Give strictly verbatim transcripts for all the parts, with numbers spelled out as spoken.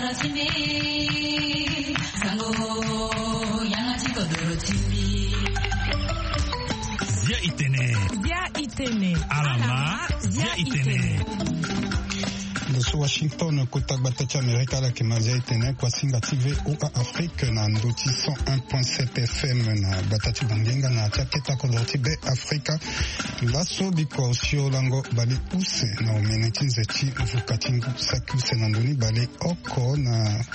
Zia itene. Zia itene. Alama. Zia itene. Ndo so Washington, kota gbata ti Amerika, ala yeke ma zia itene, kuasinga ti V O A Afrique na ndo ti cent un point sept F M na gbata ti Bangenga na ya ti akete kodoro ti Be Afrika. Laso biko osio lango bale use na omene ti nze ti mvuka ti ngu saki use na ndoni bale oko na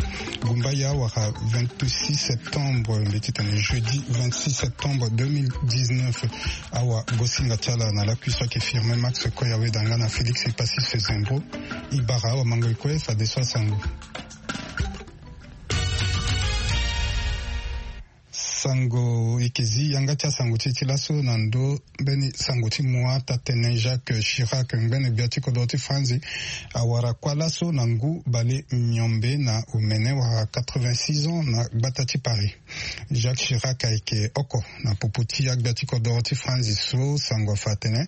Gumbaya wala vingt-six septembre, mbi titene jeudi vingt-six septembre deux mille dix-neuf. Awa gosinga ti ala na lakui so ayeke firme Max Koya Weda nga na Félix Epassis Zembro. E bara awa mango e kue fadeso asango. Sango e yeke zi yanga ti asango ti e ti laso na ndo mbeni sango ti mua. Taa-tene Jacques Chirac, ngbene gbia ti kodoro ti Franzi, awara kuâ laso na ngu bale miombe na omene wala quatre-vingt-six ans na gbata ti Paris. Jacques Chirac ayeke oko na popo ti agbia ti kodoro ti Franzi so sango afa atene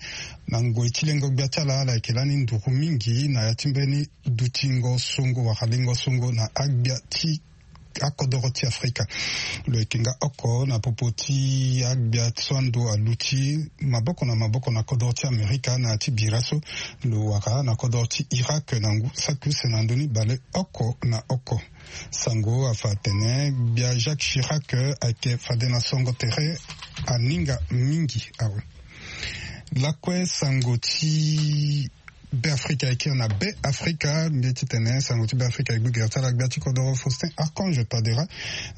na ngoi ti lengo gbia ti ala, ala yeke lani nduru mingi na ya ti mbeni dutingo songo wala lengo songo na agbia ti akodoro ti Afrika. Lo yeke nga oko na popo ti agbia so ando aluti maboko na maboko na kodoro ti Amerika na ya ti bira so lo wara na kodoro ti Irak na ngu saki use na ndoni bale oko na oko. Sango afa atene gbia Jacques Chirac ayeke fade na songo tere aninga mingi awe. Lakue sango ti Be Afrika e kiri na Be Afrika, mbi ye titene sango ti Be Afrika e gbu gere ti ala gbia ti kodoro Faustin Archange Touadera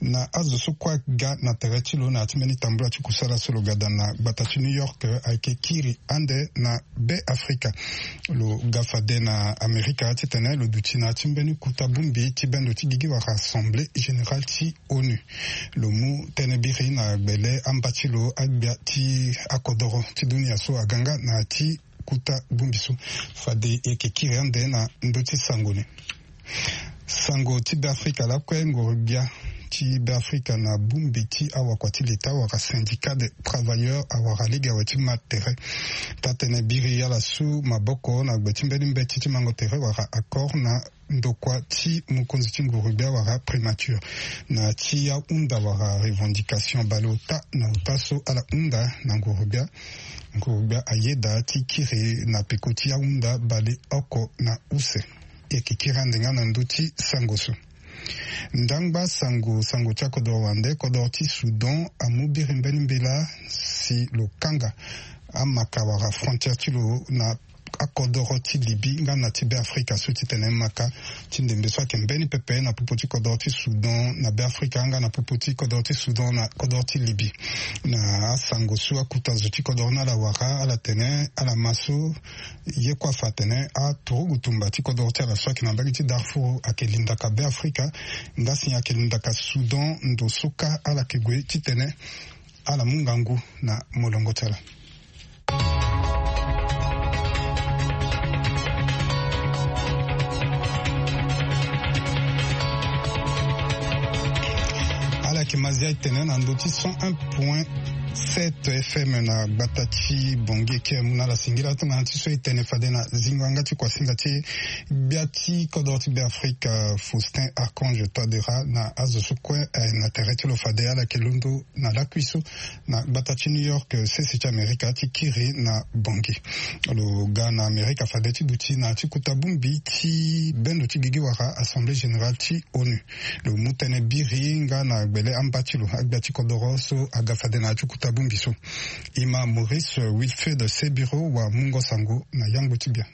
na azo so kue aga na tere ti lo na ya ti mbeni tambula ti kusala so lo ga daa na gbata ti New York ayeke kiri ande na Be Afrika. Lo ga fade na Amerika titene lo duti na ya ti mbeni kuta bongbi ti bendo ti gigi wala Assemblée Générale ti ONU. Lo mu tënë biri na gbele amba ti lo agbia ti akodoro ti dunia so aga nga na ya ti kuta bongbi so. Fade e yeke kiri ande na ndö ti sango ni. Sango ti Be Afrika lakue, nguru gbia ti Be Afrika na bongbi ti awakua ti leta wala syndicat de travailleurs awara lege awe ti ma tere. Taa-tënë biri ala su maboko na gbe ti mbeni mbeti ti mango tere wala accord na ndokua ti mokonzi ti nguru gbia wala primature na ti ahunda wala revendication bale ota na ota so ala hunda na nguru gbia. Nguru gbia ayeda ti kiri na peko ti ahunda bale oko na use. E yeke kiri ande nga na ndö ti sango so. Ndangba sango, sango ti akodoro wande, kodoro ti Soudan amu biri mbeni mbela si lo kanga amaka wala frontière ti lo na akodoro ti Libye nga na ti Be Afrika so titene maka ti ndembe so ayeke mbeni pepe na popo ti kodoro ti Soudan na Be Afrika nga na popo ti kodoro ti Soudan na kodoro ti Libye. Na asango so akuta zo ti kodoro ni ala wara, ala tene ala ma so ye kue afa atene aturugu tumba ti kodoro ti ala so ayeke na mbage ti Darfour ayeke lindaka Be Afrika, nga si ayeke lindaka Soudan ndo so kâ ala yeke gue titene ala mu ngangu na molongo ti ala. Ala yeke ma zia e tene na ndö ti cent un point sept F M na gbata ti Bangui, e kiri mu na ala singila tongana ti so e tene fade na zingo yanga ti kuasinga ti e, gbia ti kodro ti Be Afrika Faustin Archange Touadéra na azo so kue aye na tere ti lo fade ala yeke londo na lakui so na gbata ti New York, sese ti Amerika ti kiri na Bangui. Lo ga na Amerika fade ti duti na ya ti kota bongbi ti bendo ti gigi wara Assemblée Générale ti ONU. Lo mu tënë biri nga na gbele amba ti lo agbia ti kodoro so aga fade na ya ti kota bongbi so. E ma Maurice Wilfried Sebiro wa mungo sango na yangbo ti gbia.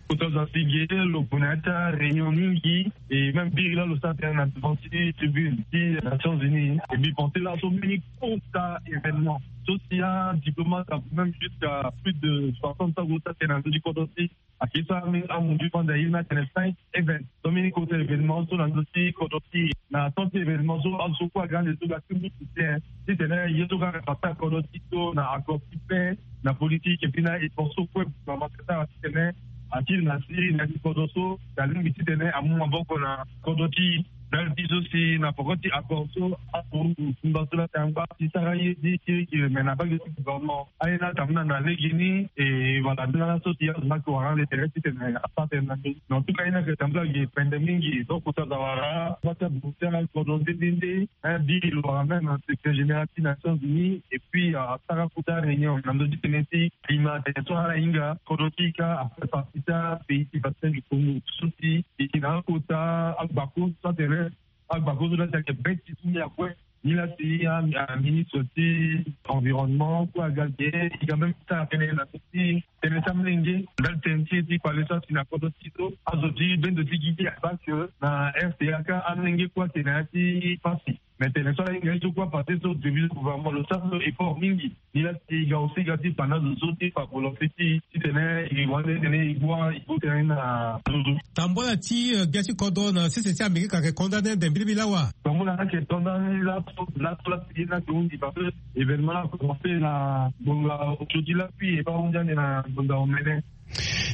Kota zo asi ge lo gue na ya ti aréunion mingi, e même biri laa lo sara tënë na devant ti tribune ti Nations Unies. E mbi pense laso mbeni kota événement so si adiplomate ague même jusqu'à plus de soixante ans ague sara tënë na ndö ti kodro ti ayeke so amu mbi fanda ye ni atene cinq event. So mbeni kota événement so na ndö ti kodro ti na temps ti événement so azo so kue aga ande so ga ti mu soutien titene ye so ga na parti ya kodro ti so na accord ti paix, na politique et puis na effort so kue gouvernement ti sara titene atiri na siri na ya ti kodro so, na lingbi titene amu maboko na kodro ti Ndali ti so si na poko ti accord so, akoru tumba so la tangba ti sara ye ti kirikiri, me na mbage ti gouvernement aye na tambula na legeni. E wala ndala so si azo na yeke wara le tere titene asara tene na ndö. En tout cas, aye na yeke tambula gi pende mingi. Donc kota aza wara bata buta kodro nde nde nde. Bi lo wara même na secrétaire général ti Nations Unies, et puis asara kota réunion na ndö ti tene ti climat tene so ala hinga kodro ti ka afaire partie ti apays ti bassin du Congo so si e yeke na akota agbako so atene agbako so la si ayeke be ti ti ni akue. Ni la si aministre ti environnement kue aga ge, e ga même ti sara tënë na ndö ti tënë ti amolenge ndali tënë ti e ti kpale so asi na kodro ti so azo ti bendo ti gigi aba ke na R T A ka amolenge kue ayeke na ya ti pasi. Mais tene so ala hinga ye so kue apase so devise gouvernement lo sara so effort mingi. Ni la si e ga aussi ga ti fa na zo so ti fa volonté ti titene e wande titene e gua e go tënë na zo so. Tambula ti gbia ti kodro na sese ti Amérique ayeke condamné ande mbilimbili awa. Tambula ayeke condamné laso laso laso ye ni ayeke hunzi parce que événement la commencé na ngonga ojodi lakui e baa hunzi ande na ngonga omene.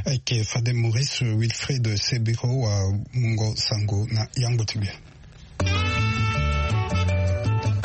Ayeke fade Maurice Wilfried Sebiro wa mungo sango na yango ti gbia.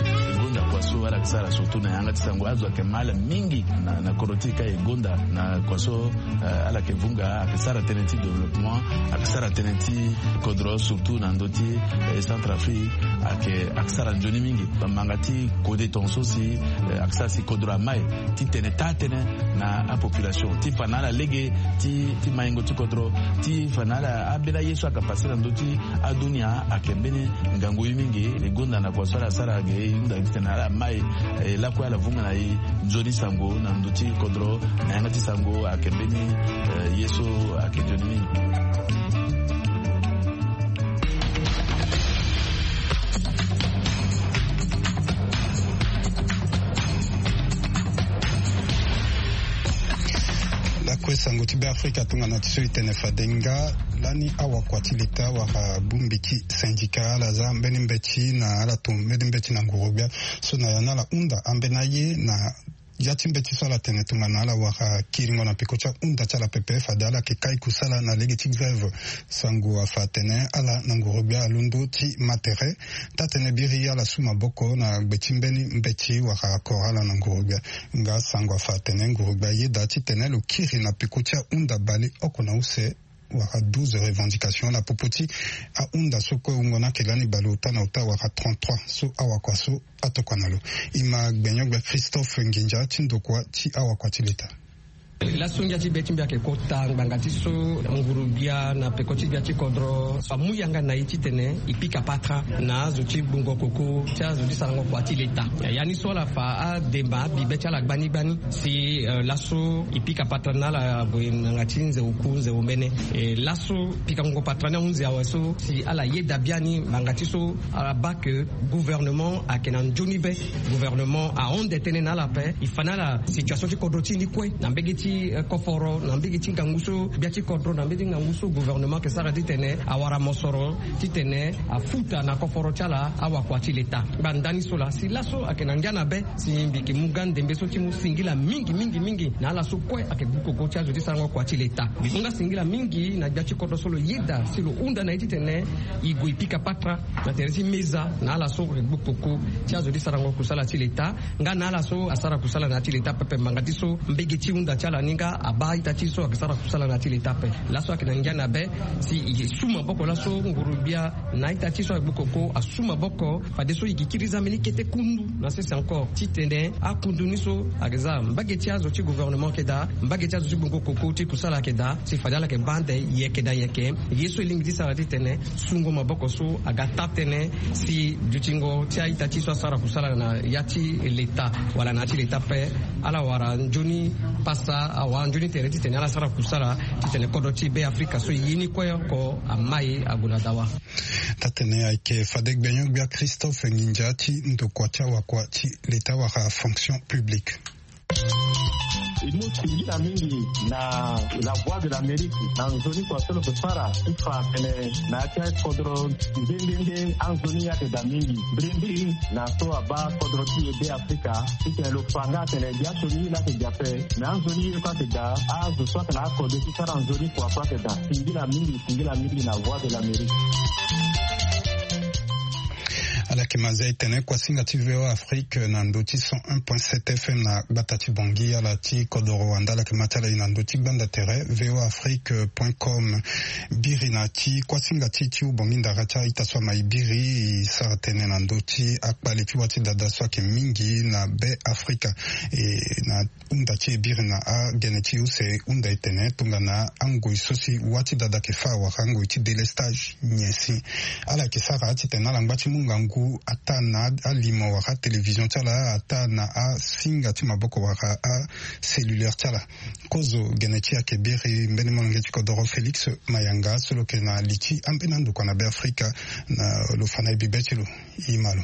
E gonda kua so ala yeke sara surtout na yanga ti sango azo ayeke ma ala mingi na kodro ti e ka e gonda na kua so ala yeke vunga ayeke sara tënë ti développement, ayeke sara tënë ti kodro surtout na ndö ti Centrafrique. Ayeke ayeke sara nzoni mingi bamanga ti kode tongaso si ayeke sara si kodro amai ti tene taa tënë na apopulation ti fa na ala lege ti maingo ti kodro ti fa na ala ambeni aye so ayeke pase na ndö ti adunia ayeke mbeni ngangu ye mingi. E gonda na kua so ala sara ge e hunda titene ala mai e lakue ala vunga na e nzoni sango na ndö ti kodro na yanga ti sango ayeke mbeni ye so ayeke nzoni mingi. Lakue sango ti Beafrika tongana ti so e tene fade nga lani awakua ti leta wala bongbi ti syndicat ala za mbeni mbeti na ala to mbeni mbeti na nguru-gbia so na ya ni ala hunda ambeni aye na ya ti mbeti so ala tene tongana ala wara kiringo na peko ti ahunda ti ala pepe fade ala yeke kai kusala na lege ti grève. Sango afa atene ala na nguru-gbia alondo ti ma tere taa-tënë biri ala su maboko na gbe ti mbeni mbeti wala koro ala na nguru-gbia. Nga sango afa atene nguru-gbia ayeda titene lo kiri na peko ti ahunda baleoko na use wala douze revendication na popo ti ahunda so kue wungo ni ayeke lani baleota na ota wala trente-trois so awakua so atokua na lo. E ma gbenyo-gbia Christophe Nginza ti ndokua ti awakua ti leta. Laso ngia ti be ti mbi ayeke kota ngbanga ti so nguru-gbia na peko ti gbia ti kodro amu yanga na e titene e pika patara na azo ti gbungo koko ti azo ti sarango kua ti leta. Ya ni so ala fa ademba abibe ti ala gbani gbani si laso e pika patara na ala gue na yanga ti nze oku nze omene. E laso pikango patara ni ahunzi awe so si ala yeda biani ngbanga ti so ala baa ke gouvernement ayeke na nzoni be. Gouvernement ahon nde tënë na ala ape. E fa na ala situation ti kodro ti e ni kue na mbege ti koforo na mbege ti ngangu so gbia ti kodro na mbege ti ngangu so gouvernement ayeke sara titene awara mosoro titene afuta na koforo ti ala awakua ti leta. Ngbanda ni so laa si laso ayeke na ngia na be si mbi yeke mu nga ndembe so ti mu singila mingi mingi mingi na ala so kue ayeke gbu koko ti azo ti sarango kua ti leta. Mbi mu nga singila mingi na gbia ti kodro so lo yeda si lo hunda na e titene e gue e pika patara na tere ti meza na ala so ayeke gbu koko ti azo ti sarango kusala ti leta nga na ala so asara kusala na ya ti leta pepe ngbanga ti so mbege ti hunda ti ala ni nga abaa ita ti so ayeke sara kusala na ya ti leta ape. Laso ayeke na ngia na be si e su maboko laso nguru-gbia na ita ti so ayeke gbu koko asu maboko fadeso e gi kiri za mbeni kete kundu na sese encore titene akundu ni so ayeke za mbage ti azo ti gouvernement ayeke daa mbage ti azo ti gbungo koko ti kusala ayeke daa si fade ala yeke baa ande yeke na yeke. Ye so e lingbi ti sara titene sungo maboko so aga taa-tënë si dutingo ti a-ita ti so asara kusala na ya ti leta wala na ya ti leta ape ala wara nzoni pasa awara nzoni tere titene ala sara kusala titene kodro ti Beafrika so e ye ni kue oko amai ague na dawa. Taa-tënë ayeke fade gbenyo-gbia Christophe Nginza ti ndokua ti awakua ti leta wala fonction publique. E mu singila mingi na La Voix de l'Amérique na nzoni kua so lo yeke sara ti fa atene na ya ti akodro nde nde nde anzoni ayeke daa mingi mbirimbiri na so abaa kodro ti e Beafrika titene lo fa nga atene biasioni ye laa ayeke daa ape. Me anzoni ye kue ayeke daa azo so ayeke na akode ti sara nzoni kua so ayeke daa. Singila mingi singila mingi na Voix de l'Amérique. Ala yeke ma zia e tene kuasinga ti V O A Afrique na ndö ti cent un point sept F M na gbata ti Bangui, ala ti kodoro wande, ala yeke ma ti ala e na ndö ti gbanda tere V O A Afrique point com. Biri na ti kuasinga ti ti hubongi ndara ti a-ita so ama e biri, e sara tënë na ndö ti akpale ti wâ ti dada so ayeke mingi na Be Afrika. E na hunda ti e biri na agene ti use hunda e tene tongana angoi so si wâ ti dada ayeke fâ wala angoi ti délestage nyen si ala yeke sara titene ala ngba ti mu ngangu ataa na alimo wala atélévision ti ala, ataa na asinga ti maboko wala acellulaire ti ala. Kozo gene ti e ayeke biri mbeni molenge ti kodoro Félix Mayanga so lo yeke na li ti ambeni andokua na Be Afrika. Na lo fa na e bibe ti lo. E ma lo.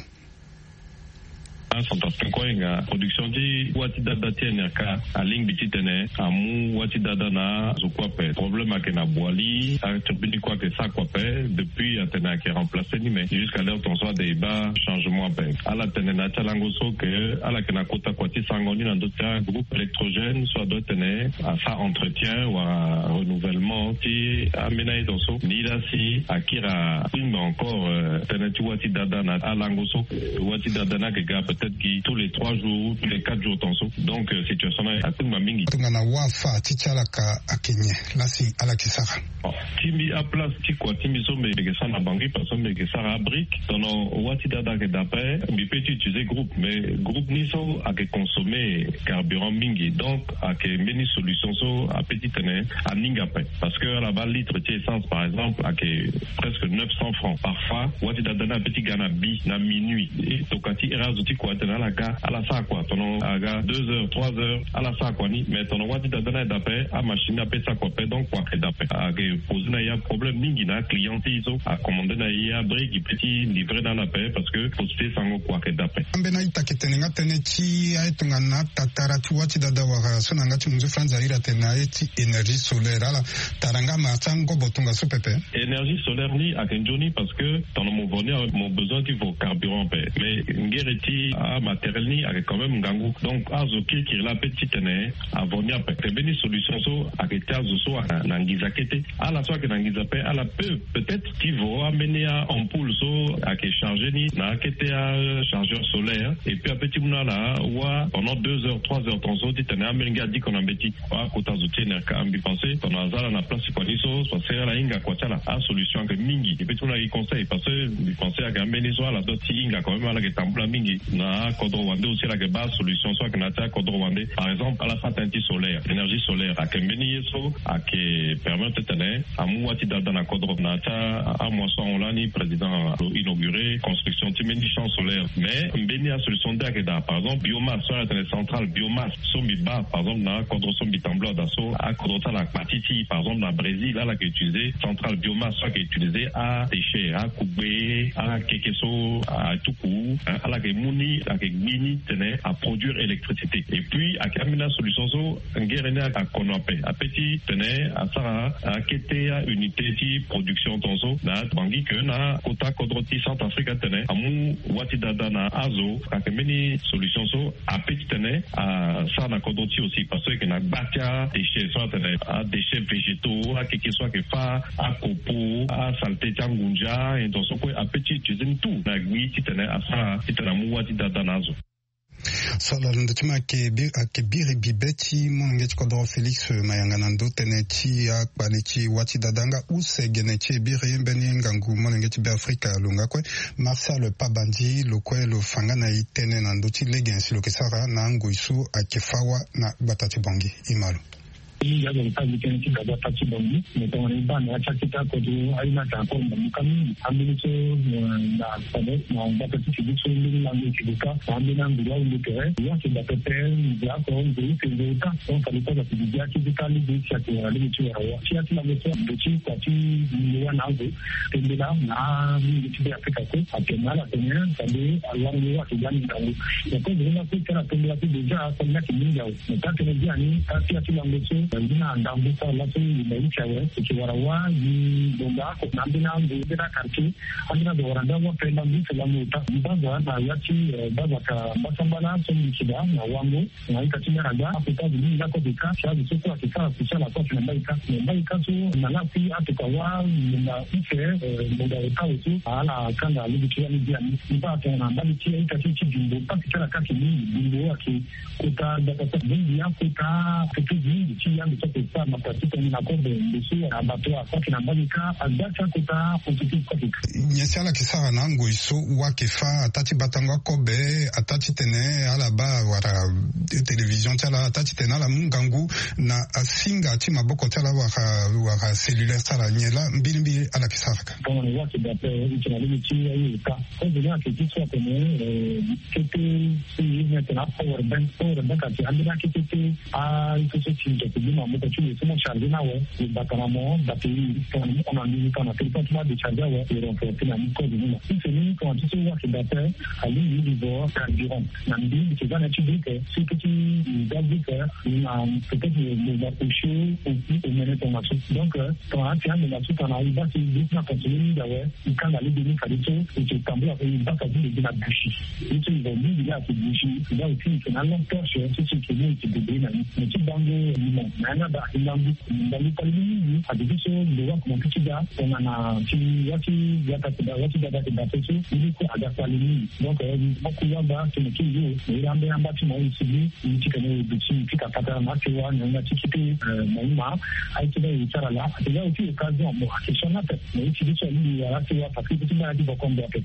Acentrafricain kue ahinga production ti wâ ti dada ti N R K alingbi titene amu wâ ti dada na azo kue ape. Problème ayeke na Boali, aturbine ni kue ayeke sara kue ape. Depuis atene ayeke remplacer ni, mais jusqu'à l'heure tongaso ade e baa changement ape. Ala tene na ya ti alango so ke ala yeke na kota kua ti sarango ni na ndö ti agroupe électrogène so adoit tene asara entretien wala renouvellement ti ambeni a-ita so. Ni laa si akiri atingba encore, euh, tënë ti wâ ti dada na alango so. Euh, wâ ti dada ni ayeke ga peut-être gi tous les trois jours, tous les quatre jours tongaso. Donc, euh, situation ni atingba mingi. Tongana wâ afâ ti ti ala ka ayeke nyen laa si ala yeke sara? Bon, ti mbi aplace ti kua ti mbi so mbi yeke sara na Bangui, parce que mbi yeke sara abrique. Tongana wâ ti dada ayeke da ape, mbi peut ti utiliser groupe, mais groupe ni so ayeke consommer carburant mingi. Donc ayeke mbeni solution so apeut ti tene aninga ape. Parce que ala baa litre ti essence par exemple ayeke presque neuf cents francs. Parfois wâ ti dada ni apeut ti ga na bi na minuit. E tokua ti heure azo ti kua atene ala ga, ala sara kua. Tongana aga deux heures, trois heures, ala sara kua ni. Mais tongana wâ ti dada ni ayeke da ape, amachine ni apeut ti sara kua ape. Donc kua ayeke da ape. Ayeke poser na e aproblème mingi na aclient ti e so acommandé na e abrique, e peut ti livrer na ala ape parce que possibilité ti sarango kua ayeke da ape. Ambeni a-ita ayeke tene nga tënë ti aye tongana tatara ti wâ ti dada wala so na yanga ti munzu France a iri atene na aye ti énergie solaire. Ala tara nga ma ti angobo tongaso pepe. Énergie solaire ni ayeke nzoni parce que tongana mo vo ni awe, mo besoin ti vo carburant ape. Mais ngere ti amatériel ni ayeke quand même ngangu. Donc azo kirikiri laa apeut ti tene avo ni ape. Ayeke mbeni solution so ayeke ti azo so ayeke na nginza kete. Ala so ayeke na nginza ape, ala peut peut-être ti vo ambeni a-ampoule so ayeke charger ni na akete achargeur solaire. Et puis apeut ti mu na ala wâ pendant deux heures, trois heures tongaso titene amolenge adiko na mbeti. Akota zo ti N R K, mbi pense tongana aza ala na place ti kua ni so, parce que ala hinga kua ti ala. Asolution ayeke mingi. E peut ti mu na e conseil, parce que mbi pense ayeke ambeni so ala doit ti hinga quand même, ala yeke tambula mingi. Na akodro wande aussi ala yeke baa solution so ayeke na ya ti akodro wande. Par exemple ala sara tënë ti solaire, énergie solaire ayeke mbeni ye so ayeke permettre titene amu wâ ti dada na kodro. Na ya ti amois so ahon lani président alo inauguré construction ti mbeni champ solaire. Mais mbeni asolution nde ayeke daa, par exemple biomasse so ala tene centrale biomasse so mbi baa par exemple na akodro so mbi tambula daa so, akodro ti ala akpa ti ti. Par exemple na Brésil ala yeke utiliser centrale biomasse so ayeke utiliser adéchet, akugbe, akeke so atuku, hein, ala yeke mu ni, ayeke gbi ni titene aproduire électricité. Et puis ayeke ambeni asolution so ngere ni akono ape, apeut ti tene asara akete aunité ti production tongaso na Bangui ke na kota kodro ti Centrafrique atene amu wâ ti dada na azo. Ayeke mbeni solution so apeut ti tene asara na kodro ti e aussi, parce que ayeke na gba ti adéchet so atene adéchet végétaux, akeke so ayeke fâ akopo, asaleté ti angunza, et donc so kue apeut ti utiliser ni tout na gbi titene asara titene amu wâ ti dada na azo. So ala londo ti ma ayeke bi-, ayeke biri bibe ti molenge ti kodoro Félix Mayanga na ndö tënë ti akpale ti wâ ti dada nga use gene ti e biri mbeni ngangu molenge ti Beafrika lo nga kue. Martial Pabandi lo kue lo fa nga na e tënë na ndö ti lege si lo yeke sara na angoi so ayeke fâ wâ na gbata ti Bangui. E ma lo. Mingi azo lo sara gi tënë ti gaba pâ ti Bangui. Mais tongana e baa na ya ti akete akodro aye ni ayeke encore na muka mingi. Ambeni so, eh, na fade na gbata ti Félix so mbeni lango eke gue kâ na ambeni anguru ahunde tere. Wâ eke daa pepe, nze oko, nze use, nze ota. Donc fade ti azo ake gue gi akete kâ lege ti ake wara lege ti wara wâ. Ti ya ti lango so ndo ti kua ti nze wâ na azo. Tembela na alingbi ti Beafrika kue ayeke na ala tene fade alango ayeke ga ni ngangu. Mais kozo ni la kue ti ala tembela ti déjà asango ni ayeke mingi awe. Mais taa tënë biani taa ti ya ti lango so Ngbina ndambu sara laso e na use awe e ke wara wâ gi ngonga ako na ambeni angu ambeni akartie. Ambeni azo wara ndambu ape ndambu use lango ota mbaza na ya ti baza ka mbasambala so mbi kida na wango na ita ti mera ga akota azo mingi lako ake ka si azo so kue ake sara social ako ake na mbai ka na mbai ka so na la si atoka wâ ngonga use ngonga ota awe so ala kanga lege ti wani dia ni mba atongana mbali ti aita ti ti bimbo pasi ti ala ka ake mingi bimbo ake kota gbata so mingi akota kete mingi ti yando so ake sara na pasi tongana kobe mbi so abato asaki na mbali ka agba ti akota entreprise so ake ka. Nyen si ala ke sara na angoi so wâ ake fâ ata ti batango akobe ata ti tene ala baa wala télévision ti ala ata ti tene ala mu ngangu na asinga ti maboko ti ala wala wala cellulaire ti ala nyen laa mbirimbiri ala ke sara ka. Tongana wâ ake daa ape e tene na lege ti aye ota. Kozo ni ake ti so atene kete so ye ni atene apower bank power bank ake ambeni akete te. Ah, il faut so ti nze ti bima moko ti lo so mo charge na awe lo bata na mo batterie tongana mo hon na nduru tongana téléphone ti mo adécharge awe lo renforce na ni code ni na si se ni tongana ti so wâ ake daa ape. Alingbi livre carburant na mbi mbi ke za na ya ti brique si keti za brique na peut-être lo za osio opi omene tongana so donc tongana ati ande na so tongana e baa si brique ni aconsomme mingi awe. E kanga lege ni fadeso e ke tambula e baa fade lo gi na bushi. Ye so e zo mingi laa ake bushi e baa aussi e ke na alongue torche so si e ke mu e ke débrouiller na ni. Me ti bango limo na yanga daa e ngangu ngangu kpali ni mingi ake ti so lo wâ komanse ti daa tongana ti wâ ti gata ake daa wâ ti gata ake daa so so ye ni kue aga kpali mingi. Donc mo kue wâ daa tene ti zo na iri ambeni amba ti mo e sigi. Ye ti tene e duti e fika patara na asewa na yanga ti kete. Na ima aye ti baa e sara laa ake ya aussi occasion mo ake sioni ape. Na ye ti biso alingbi wara asewa parce que ye ti baa na ti bokombo ape.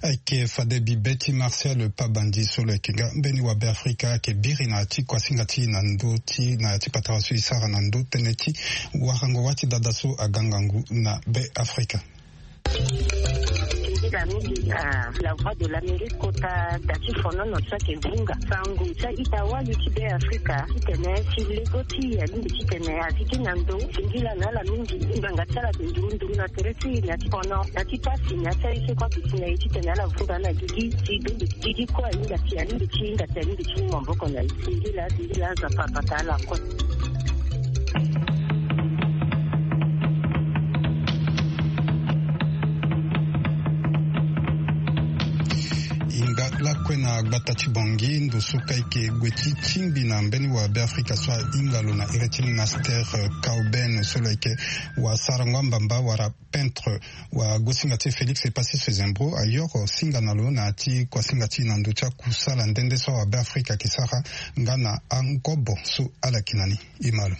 Ayeke fade bibe ti Martial Pabandi so lo yeke nga mbeni wabe Afrika ayeke biri na ya ti kuasinga ti e na ndö ti na ya ti patara so e sara na ndö tënë ti warango wâ ti dada so aga ngangu na be Afrika. Mingi na La Voix de l'Amérique kota da ti fonono so ayeke vunga sango ti a-ita wali ti be Afrika titene si lego ti e alingbi titene azi ti na ndo singila na ala mingi. Ngbanga ti ala ake nduru nduru na tere ti e na ya ti fono na ti pasi na ya ti aye so kue ake si na e titene ala vunga na gigi ti gigi kue ahinga ti alingbi ti hinga ti alingbi ti mu maboko na e. Singila singila azapa apata ala kue. Hinga lakue na gbata ti Bangui ndo so ka eke gue ti tingbi na mbeni wabe Afrika so ahinga lo na iri ti Master Kauben so lo yeke wasarango ambamba wala peintre. Wagosinga ti e Félix Epassis Sezembro ayoro singa na lo na ya ti kuasinga ti e na ndo ti akusala nde nde so awabe Afrika ake sara nga na angobo so ala yeke na ni. E ma lo.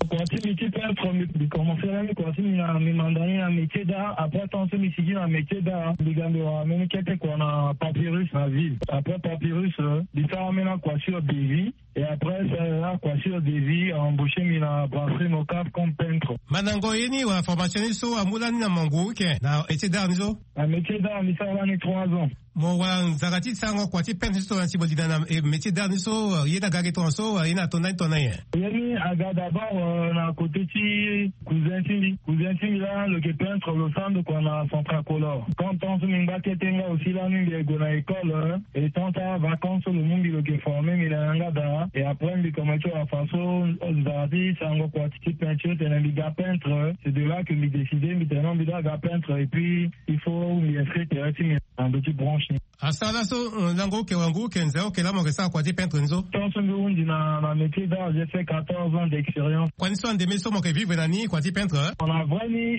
Kua ti mbi ti peintre mbi commencer lani kua ti mbi na mbi manda ni na métier d'art après tant so mbi sigi na métier d'art mbi ga mbi wara mbeni kete kua na Papyrus na ville après Papyrus mbi sara ambeni akua sur devis. Et après ça la kua sur devis a embaucher mbi na brasserie Mocaf comme peintre. Mandango ye ni wala formation ni so amu lani na mangu ike na métier d'art ni so? Na métier d'art mbi sara lani trois ans. Mo wara nzara ti sarango kua ti peintre ni so tongana si mo linda na métier d'art ni so ye ni aga ge tongana so wala ye ni ato ndani tongana nyen? Ye ni aga d'abord na côté ti cousin ti mbi cousin ti mbi laa lo yeke peintre lo sara ndo kua na central color. Quand temps so mbi ngba kete nga aussi lani mbi gue na école. Et tant ti avacance so lo mu mbi lo yeke former mbi na yanga daa. Et après mbi commencer ti wara façon nzara ti sarango kua ti ti peinture tene mbi ga peintre. C'est de là que mbi décider mbi tene non mbi doit ga peintre et puis il faut mbi inscrire tere ti mbi na ndo ti branche ni. Asara laso lango oke wangu oke nze oke laa mo yeke sara kua ti peintre ni so? Tant so mbi hundi na na métier d'art j'ai fait quatorze ans d'expérience. Kua ni so andeme so mo yeke vivre na ni kua ti peintre? Na vrai ni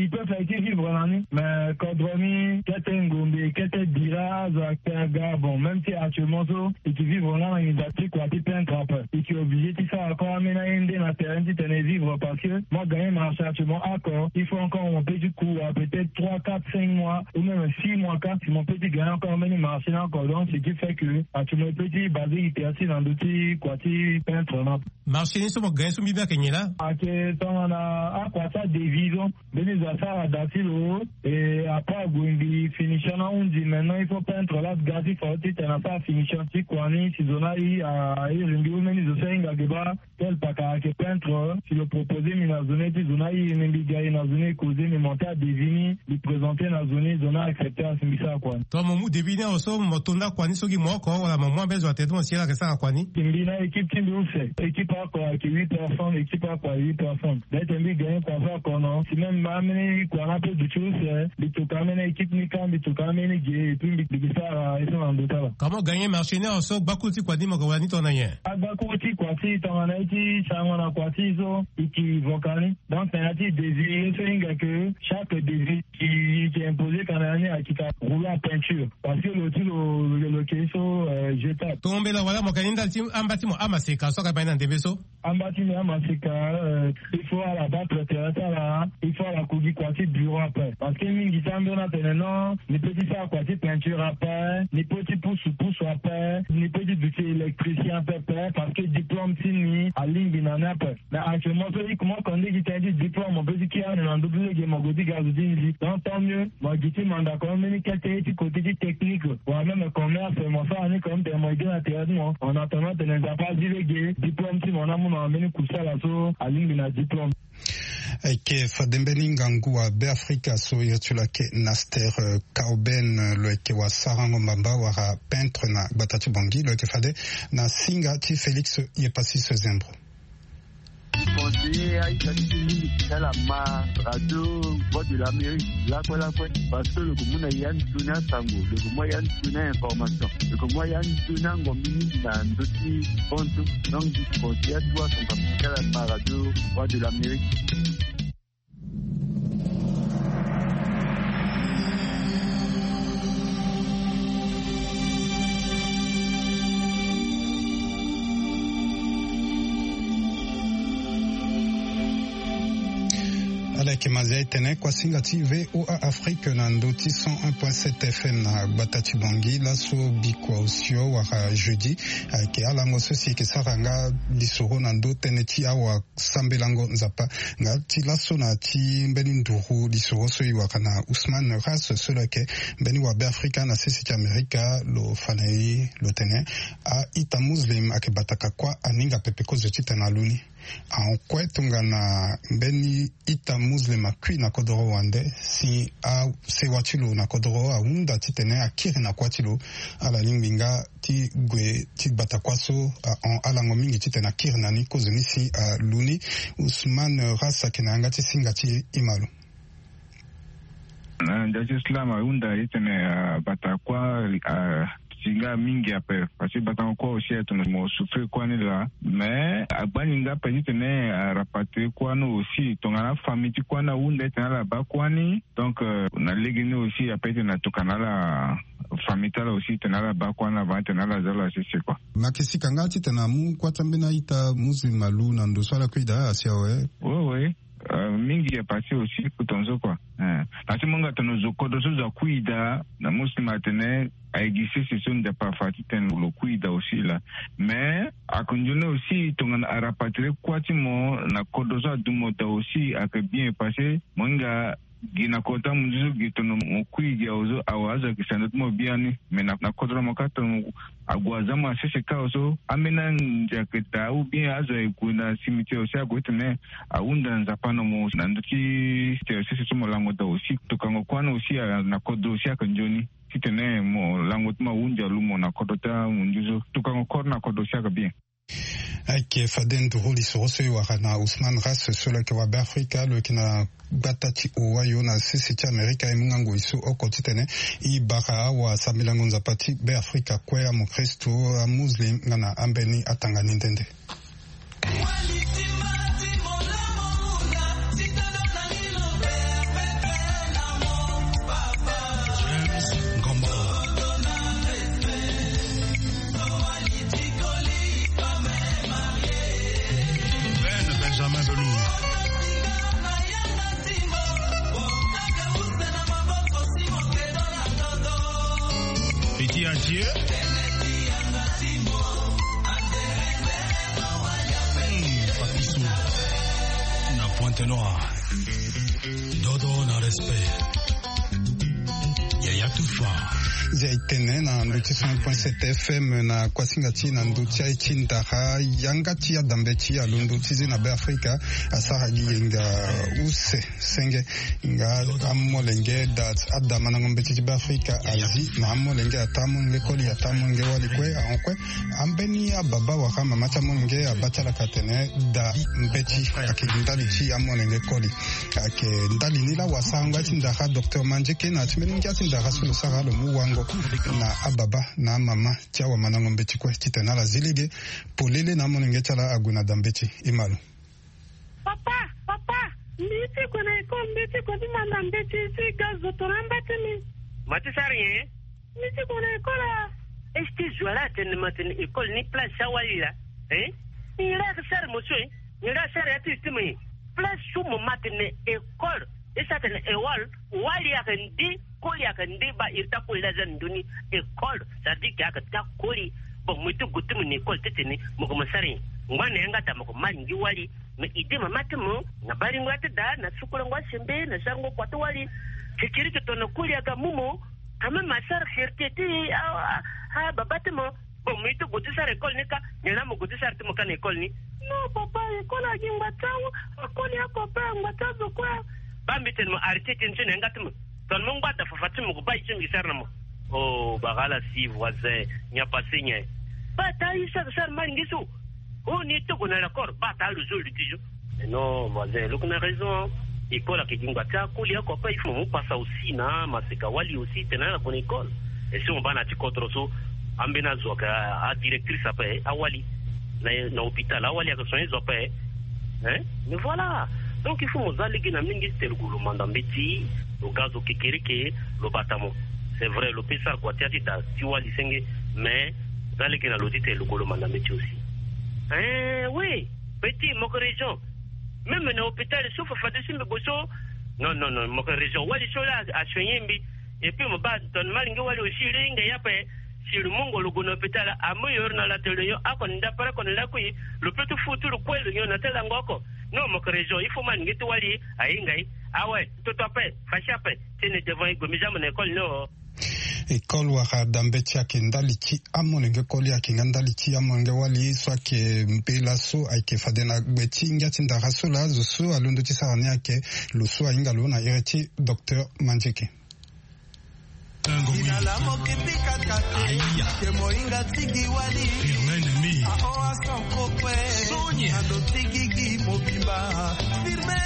il peut faire ti vivre na ni mais kodro ni kete ngombe kete bira azo akpe aga bon même si actuellement so il ke vivre nga na nginza ti kua ti peintre ape. Il ke obligé ti sara encore amena ye nde na terrain ti tene vivre parce que moi gagner marché actuellement ako il faut encore mon petit coup à peut-être trois quatre cinq mois ou même six mois ka si mon petit gagner encore mbeni marché na ako donc ce qui fait que actuellement petit basé itersi na ndo ti kua ti peintre na. Marché ni so mo gagner so mbi mbi ake nyen laa? Ake tongana akua ti adevison mbeni zo. Sara da ti lo. Et après ague mbi finition na hundi, maintenant il faut peintre la ga ti fa ti tena sara finition ti kua ni si zo na i a iri mbi omeni zo so ahinga ge baa. Tel paka ayeke peintre si lo proposer mbi na zo ni ti zo na iri ni mbi ga e na zo ni e causer mbi monter adevis ni mbi présenter na zo ni zo na accepter asi mbi sara kua ni. Tongana mo mu devis ni awe so mo to nda kua ni so gi mo oko wala mo mu ambeni zo atene ti mo si ala yeke sara kua ni? Mbi na équipe ti mbi use. Équipe oko ayeke huit personnes, équipe oko ayeke huit personnes. Bete mbi gagner kua so oko non si même ambeni kua na pe duti use mbi tuka ambeni équipe ni ka mbi tuka ambeni ge et puis mbi gi sara ye so na ndo ti ala. Comment gagner marché ni awe so gbakuru ti kua ni mo ga wala ni tongana nyen? Agbakuru ti kua ti tongana ye ti sango na kua ti so e ki voka ni. Donc na ya ti devis ye so hinga ke chaque devis e ke imposer kana ya ni akita rouler en peinture. Parce que lo ti lo lo ke so jetable. Tombela wala mo ka ni ndali ti amba ti mo amaseka so aka baa ni na ndembe so. Amba ti mbi amaseka. Il faut ala battre terrain ti ala. Il faut ala kugi kua ti bureau ape parce que mingi ti ambeni atene non ni pe ti sara kua ti peinture ape ni pe ti pusu pusu ape ni pe ti duti électricien ape ape parce que diplôme ti ni alingbi na ni ape. Mais actuellement so i kuma oko nde gi tënë ti diplôme mo pe ti kiri ande na ndö ti lege mo gue ti ga zo ti nzi donc tant mieux. Mo gi ti mandako mbeni kete ye ti côté ti technique wala même commerce mo sara ni comme tene mo ege na tere ti mo en attendant tene nzapa azi lege diplôme ti mo na mu na mbeni kusala so alingbi na diplôme. Ayeke fade mbeni ngangu wa Beafrika so iri ti lo ayeke Naster Kauben lo yeke wasarango mbamba wala peintre na gbata ti Bangui lo yeke fade na singa ti Félix Yepassis Zembro. Conseiller aita ti ti mingi ti ala ma radio Voix de l'Amérique lakue lakue parce que lo yeke mu na ya nzoni asango lo yeke mu ya nzoni a information lo yeke mu ya nzoni angombi mingi na ndö ti bantu. Donc conseiller atu asango ti ala ma radio Voix de l'Amérique. Ala yeke mazia e tene kuasinga ti VOA Afrique na ndö ti cent un point sept F M na gbata ti Bangui laso bikua osio wala jeudi. Ayeke alango so si e yeke sara nga lisoro na ndö tënë ti awa sambelango Nzapa. Nga ti laso na ti mbeni nduru lisoro so e wara na Ousmane Ras so lo yeke mbeni wa Beafrika na sese ti Amerika lo fa na e lo tene a-ita muslim ayeke bataka kuâ aninga pepe kozo titene alu ni. Ahon kue tongana mbeni ita muslim akui na kodoro wande si asewa ti lo na kodoro ahunda titene akiri na kuâ ti lo. Ala lingbi nga ti gue ti gbata kuâ so ahon alango mingi titene akiri na ni kozo ni si alu ni. Ousmane Ras ayeke na yanga ti singa ti e, e ma lo. Ndia ti slam ahunda ye tene abata kuâ asinga mingi ape. Parce que batango kuâ aussi atene mo souffrir kuâ ni laa. Mais agbani nga ape titene arapatrier kuâ ni aussi tongana afamille ti kuâ ni ahunda ye tene ala baa kuâ ni. Donc na lege ni aussi ape titene atokua na ala famille ti ala aussi titene ala baa kuâ ni avant titene ala za ala sese kua. Makisika nga titene amu kuâ ti ambeni a-ita muslim alu na ndo so ala kui daa asi awe. Oui oui. Mingi ya pase aussi ku tongaso kua. Na ti mo hinga tene zo kodro so zo akui daa na muslim atene aye gi sese so Nzapa afa titene lo kui daa aussi laa. Mais ayeke nzoni aussi tongana arapatrier kuâ ti mo na kodro so adumo daa aussi ayeke bien parce que mo hinga gi na kodro ti amunzu so gi tono mo kui gi awe so awe azo ayeke sando ti mo biani. Mais na kodro na mo kâ tono ague aza mo na sese kâ awe so ambeni anze ayeke daa ou bien azo aye gue na cimetière aussi ague titene ahunda Nzapa na mo na ndö ti tere sese so mo lango daa aussi tokango kuâ ni aussi na kodro aussi ayeke nzoni. Titene mo lango ti mo ahunzi alu mo na kodro ti amunzu so tokango koro na kodro aussi ayeke bien. Ayeke fade nduru lisoro so e wara na Ousmane Ras so lo yeke wa Beafrika lo yeke na gbata ti Ohio na sese ti Amerika e mu nga ngoi so oko titene e bara awasambelango Nzapa ti Beafrika kue amokristo amuslim nga na ambeni atanga ni nde nde. Ben Benjamin Belou. Piti atie. Hmm, Papiso na Pointe Noire. Dodo na Yaya Tufa. Zia e tene na ndö ti cent point sept F M na kuasinga ti na ndö ti aye ti ndara yanga ti adambe ti alondo ti zi na Beafrika asara gi yenga use senge. Nga amolenge da ada mandango mbeti ti Beafrika azi na amolenge ataa amolenge koli ataa amolenge wali kue ahon kue. Ambeni ababa wala amama ti amolenge abaa ti ala ka tene da mbeti ayeke gi ndali ti amolenge koli. Ayeke ndali ni laa wasarango ya ti ndara docteur Mandieke na ya ti mbeni ngia ti ndara so lo sara lo mu wango na ababa na amama ti awamandango mbeti kue titene ala zi lege polele na amolenge ti ala ague na da mbeti. E ma lo. Papa, papa, mbi ti gue na école, mbi ti gue ti manda mbeti ti ga zo tongana amba ti mbi. Ma ti sara nyen? Mbi ti gue na école a. Est-ce que zo ala atene ma tene école ni place ti awali laa? Hein? Nyen la ayeke sara mo so e? Nyen la asara ya ti e ti mo e? Place so mo ma tene école, e sara tene école, wali ayeke ndi, koli ayeke ndi, baa iri ti akoli laa aza na ndö ni école, ça veut dire que ayeke ti akoli. Bon, mo ye ti gue ti mo na école ti tene mo ke mo sara nyen? Ngba na yanga daa mo ke ma alingbi wali. Mais idée mama ti mo na baringo ya ti da na sukulango asembe na sarango kua ti wali. Kekereke tongana koli aga mu mo. Quand même asara fierté ti a, a, a baba ti mo. Bon, mo ye ti gue ti sara école ni ka, nyen la mo gue ti sara ti mo ka na école ni? Non papa, école agi ngba ti awu, akoli ako ape angba ti azo kue. Baa mbi tene mo arrêté tënë so na yanga ti mo. Tongana mo ngba da fafa ti mo gue baa ye ti mbi sara na mo. Oh, bara ala si voisin, nyen apasé nyen? Baa taa ye so ayeke sara mbalingi so. Oh, ni ye ti gue na lakore, baa taa lo zo lo ti zo. Eh non voisin, lo yeke na raison. École ayeke gi ngba ti akoli oko ape, il faut mo mu pasa aussi na maseka wali aussi tene ala gue na école. Et si mo baa na ya ti kodro so, ambeni azo ayeke a, adirectrice ape, awali. Na, na hôpital, awali ayeke soigner zo ape. Hein? Mais voilà. Donc il faut mo za lege na mingi ti tene lo gue lo manda mbeti, lo ga zo kekereke, lo bata mo. C'est vrai, lo peut sara kua ti ya ti da ti wali senge, mais za lege na lo ti tene lo gue lo manda mbeti aussi. Hein, oui. Petit, mo yeke raison. Même na hôpital so fafa ti si mbi gue so. Non, non, non, mo yeke raison. Wali so la asoigner mbi. Et puis mo baa tongana mo alingbi wali aussi, lo hinga ye ape. Si lo mungo lo gue na hôpital, amu yo iri na lato lo nyon oko na ndapere oko na lakui, lo peut ti fu ti lo kue lo nyon na ti lango oko. Non, mo yeke raison. Il faut mo alingbi ti wali ahinga ye. Ah ouais, toto ape, fachi ape. Tene devant ye gue mbi za mo na école ni o. École wala da mbeti ayeke ndali ti amolenge koli, ayeke nga ndali ti amolenge wali so ayeke mbela so ayeke fade na gbe ti ngia ti ndara so laa zo so alondo ti sara ni ayeke lo so ahinga lo na iri ti docteur Mandieke. Ina la mo kiti kaka te. Ke mo hinga ti gi wali. Firme ennemi. Aho asanko kue. Sonia. Ando ti gi gi mobimba. Firme.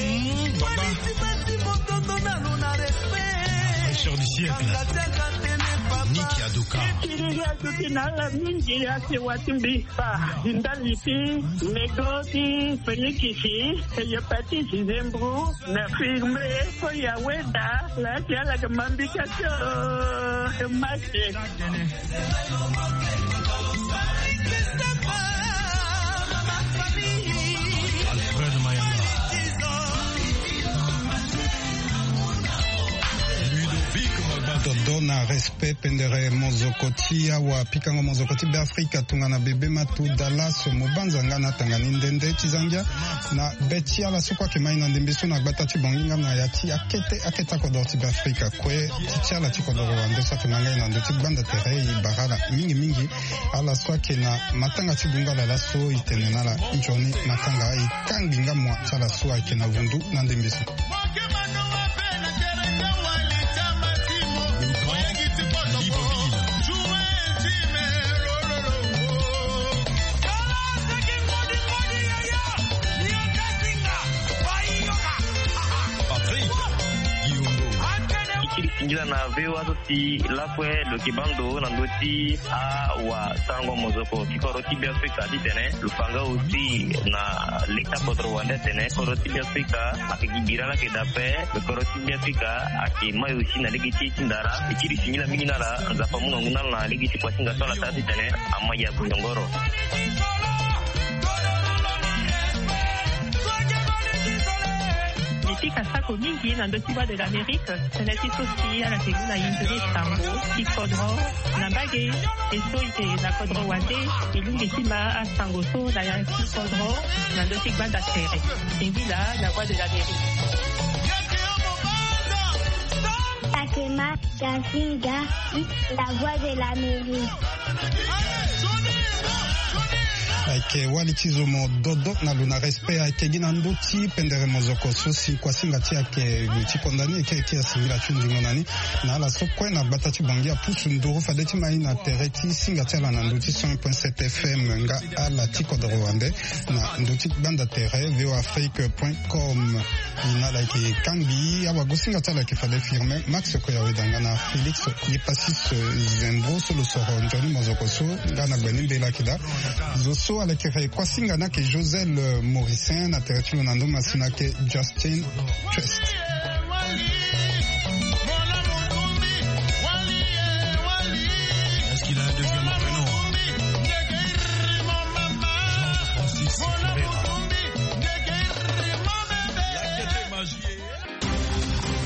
Mm, baba. Wali ti basi motondo na lo na respect. Fraîcheur du siècle. Kanga ti aka tene papa. Nick Adoka. Ti gi gi azo ti na ala mingi ake wa ti mbi. Ba, ndali ti mego ti Félix, hépatite, zembro, na firme, ko ya weda, la ti ala ke mambi ka to, ke mache. Alfred Mayanga. Ludovic Mabata. Dodo na respect. Pendere mozoko ti awa pikango mozoko ti Beafrika tongana bebe matu dalaso mo banza nga na tanga ni nde nde ti za ngia na be ti ala so kue ayeke ma e na ndembe so na gbata ti Bongi nga na ya ti akete akete akodoro ti Beafrika kue ti ti ala ti kodoro wande so ayeke ma nga e na ndö ti gbanda tere e bara ala mingi mingi. Ala so ayeke na matanga ti bungala laso e tene na ala nzoni matanga e kangbi nga mua ti ala so ayeke na vundu na ndembe so. Patrick Guillaume. Singila na V O A so si lakue lo yeke baa ndo na ndö ti awasango mozoko ti kodro ti Beafrika titene lo fa nga aussi na leta kodro wande atene kodro ti Beafrika ayeke gi bira laa ayeke daa ape. Lo kodro ti Beafrika ayeke mai aussi na lege ti e ti ndara. E kiri singila mingi na ala, Nzapa amu ngangu na ala na lege ti kuasinga so ala sara titene ama ya kuyongoro. Mbi pika sako mingi na ndö ti Voix de l'Amérique, tënë ti so si ala yeke mu na hinzoni sango ti kodro na mbage. E so e yeke na kodro wande, e lingbi ti ma asango so na ya ti kodro na ndö ti gbanda tere. Singila na Voix de l'Amérique. Gasinga, la voix de l'Amérique. Ayeke wali ti zo mo dodo na lo na respect. Ayeke gi na ndö ti pendere mozoko so si kuasinga ti ayeke lo ti konda ni eke eke asingila ti ndingo na ni. Na ala so kue na gbata ti Bangui apusu nduru fade ti ma ye na tere ti singa ti ala na ndö ti cent point sept F M. Nga ala ti kodro wande na ndö ti gbanda tere V O A Afrique point com. Ina ala yeke kangbi awagosinga ti ala yeke fade firme Max Koya Wedanga na Félix Yepasis Zembro so lo soro nzoni mozoko so nga na gbe ni mbela kida. Zo so ala yeke re kuasinga ni ayeke Josel Mauricien na tere ti lo na ndö masina ayeke Justin Trust.